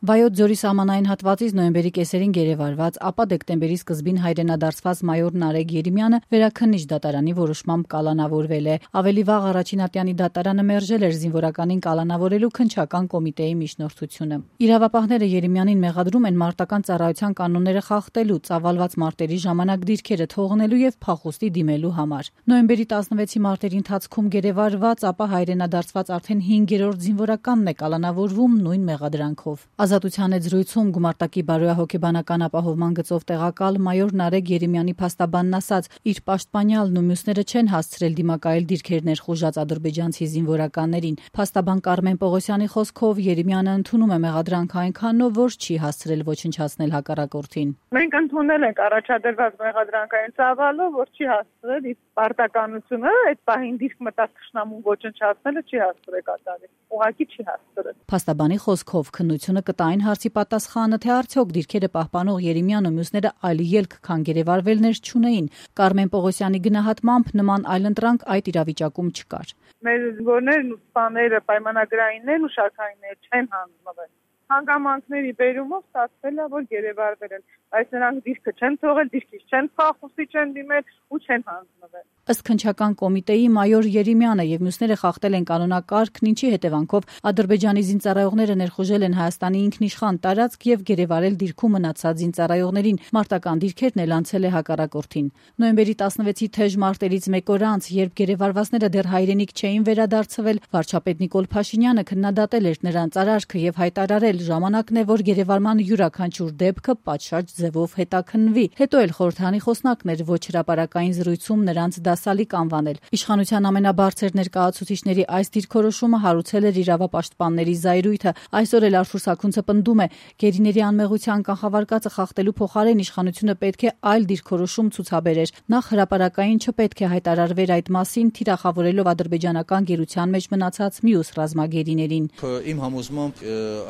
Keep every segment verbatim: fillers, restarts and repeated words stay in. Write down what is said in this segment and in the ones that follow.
Վայոց ձորի սահմանային հատվածից նոյեմբերի կեսերին գերեվարված, ապա դեկտեմբերի սկզբին հայրենադարձված մայոր Նարեկ Երեմյանը վերաքննիչ դատարանի որոշմամբ կալանավորվել է։ Ավելի վաղ առաջին ատյանի դատարանը մերժել էր զինվորականին կալանավորելու քննչական կոմիտեի միջնորդությունը։ Իրավապահները Երեմյանին մեղադրում են մարտական ծառայության կանոնները խախտելու, ծավալված մարտերի ժամանակ դիրքերը թողնելու եւ փախուստի դիմելու համար։ Նոյեմբերի տասնվեցի մարտերի ընթացքում գերեվարված, ապա հայրենադարձված արդեն հինգերորդ զինվորականն է կալանավորվում նույն մեղադրանքով։ Ազատության հետ զրույցում գումարտակի բարոյահոգեբանական ապահովման գծով տեղակալ մայոր Նարեկ Երեմյանի փաստաբանն ասաց, իր պաշտպանյալն ու մյուսները չեն հասցրել դիմակայել դիրքեր ներխուժած ադրբեջանցի զինվորականներին։ Փաստաբան Կարմեն Պողոսյանի խոսքով Երեմյանը ընդունում է մեղադրանքը այնքանով, որ չի հասցրել ոչնչացնել հակառակորդին։ Մենք ընդունել ենք առաջադրված մեղադրանքային ծավալով, որ չի հասցրել իր պարտականությունը, այդ պահին դիրք մտած թշնամուն ոչնչացնելը չի հասցրել կատարել։ Ուղղակի չի հասցրել։ Փաստաբանի խոսքով քննությունը կտա այն հարցի պատասխանը, թե արդյոք դիրքերը պահպանող Երեմյանն ու մյուսները այլ ելք, քան գերեվարվելներ չունեին։ Կարմեն Պողոսյանի գնահատմամբ նման այլընտրանք այդ իրավիճակում չկար։ Մեր զինվորներն ու սպաները, պայմանագրայիններն ու շարքայինները չեն հանձնվել։ Հանգամանքների բերումով ստացվել է, որ գերեվարվել են, բայց նրանք դիրքը չեն թողել, դիրքից չեն փախուստի չեն դիմել ու չեն հանձնվել։ Ըստ քննչական կոմիտեի մայոր Երեմյանը եւ մյուսները խախտել են կանոնակարգն, ինչի հետևանքով Ադրբեջանի զինծառայողները ներխուժել են Հայաստանի ինքնիշխան տարածք եւ գերեվարել դիրքում մնացած զինծառայողներին, մարտական դիրքերն էլ անցել է հակառակորդին։ Նոյեմբերի տասնվեցի թեժ մարտերից մեկ օր անց, երբ գերեվարվածները դեռ հայրենիք չէին վերադարձվել, վարչապետ Նիկոլ Փաշինյանը քննադատել էր նրանց արարքը եւ հայտարարել, ժամանակն է, որ գերեվարման յուրաքանչյուր դեպքը պատշաճ ձևով հետաքննվի։ Հետո էլ խորհրդանի խոսնակն էր ոչ հրապարակային զրույցում նրանց դասալիկ անվանել։ Իշխանության ամենաբարձր ներկայացուցիչների այս դիրքորոշումը հարուցել էր իրավապաշտպանների զայրույթը։ Այսօր էլ Արթուր Սաքունցը պնդում է, գերիների անմեղության կանխավարկածը խախտելու փոխարեն իշխանությունը պետք է այլ դիրքորոշում ցուցաբերեր։ Նախ հրապարակային չպետք է հայտարարվեր այդ մասին, թիրախավորելով ադրբեջանական գերության մեջ մնացած մյուս ռազմագերիներին։ Իմ համոզմամբ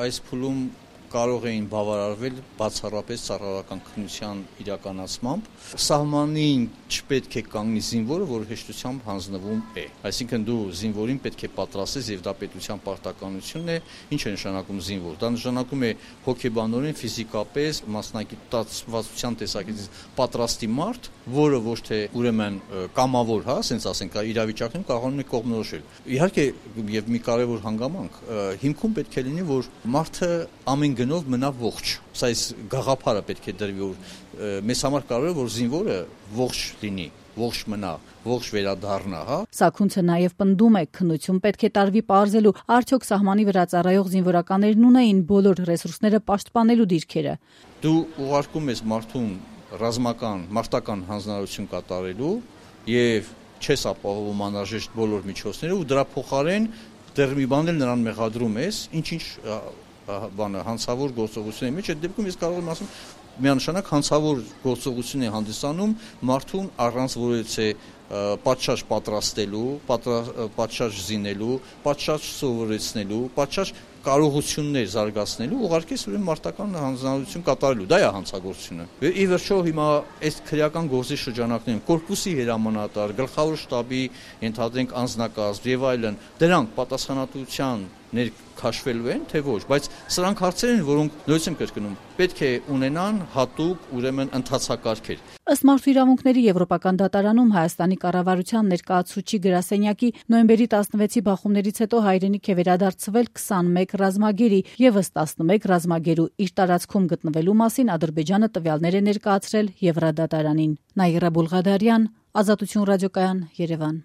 այս փուլում կարող էին բավարարվել բացառապես ծառայական քննության իրականացմամբ։ Սահմանին չպետք է կանգնի զինվորը, որը հեշտությամբ հանձնվում է։ Այսինքն դու զինվորին պետք է պատրաստես եւ դա պետության պարտականությունն է։ Ինչ է նշանակում զինվոր։ Դա նշանակում է հոգեբանորեն, ֆիզիկապես, մասնագիտացվածության տեսակետից պատրաստի մարդ, որը ոչ թե ուրեմն կամավոր, հա, ասենց ասենք, իրավիճակում կարողանում է կողմնորոշել։ Իհարկե, եւ մի կարեւոր հանգամանք, հիմքում պետք է լինի, որ մարդը ամեն գնով մնա ողջ։ Սա այս գաղափարը պետք է դրվի, որ մեզ համար կարող է որ զինվորը ողջ լինի, ողջ մնա, ողջ վերադառնա, հա։ Սաքունցը նաև պնդում է, քննություն պետք է տարվի պարզելու, արդյոք սահմանի վրա ծառայող զինվորականներն ունեին բոլոր ռեսուրսները պաշտպանելու դիրքերը։ Դու ուղարկում ես մարդուն ռազմական, մարտական հանձնարարություն կատարելու եւ չես ապահովում անհրաժեշտ բոլոր միջոցները ու դրա փոխարեն դեռ մի բան էլ նրան մեղադրում ես, ինչ-ինչ բանը հանցավոր գործողությունների մեջ այդ դեպքում ես կարող եմ ասում միանշանակ հանցավոր գործողություն է հանդիսանում մարդուն առանց որևէ պատշաճ պատրաստելու, պատշաճ զինելու, պատշաճ սովորեցնելու, պատշաճ կարողություններ զարգացնելու, ուղղարկես ուրեմն մարտական հանձնարարություն կատարելու, դա է հանցագործությունը։ Ի վերջո հիմա այս քրեական գործի շրջանակներում կորպուսի հրամանատար, գլխավոր շտաբի ենթադրենք անձնակազմ եւ այլն, դրանք պատասխանատվության ներքաշվելու են, թե ոչ, բայց սրանք հարցեր են, որոնք նույնիսկ եմ կրկնում, պետք է ունենան հատուկ ուրեմն ընթացակարգեր։ Ըստ Մարդու իրավունքների Եվրոպական դատարանում Հայաստանի կառավարության ներկայացուցիչի գրասենյակի նոյեմբերի տասնվեցի բախումներից հետո հայրենիք է վերադարձվել քսանմեկ ռազմագերի եւս տասնմեկ ռազմագերու իր տարածքում գտնվելու մասին Ադրբեջանը տվյալներ է ներկայացրել Եվրադատարանին։ Նաիրա Բուլղադարյան, Ազատություն ռադիոկայան, Երևան։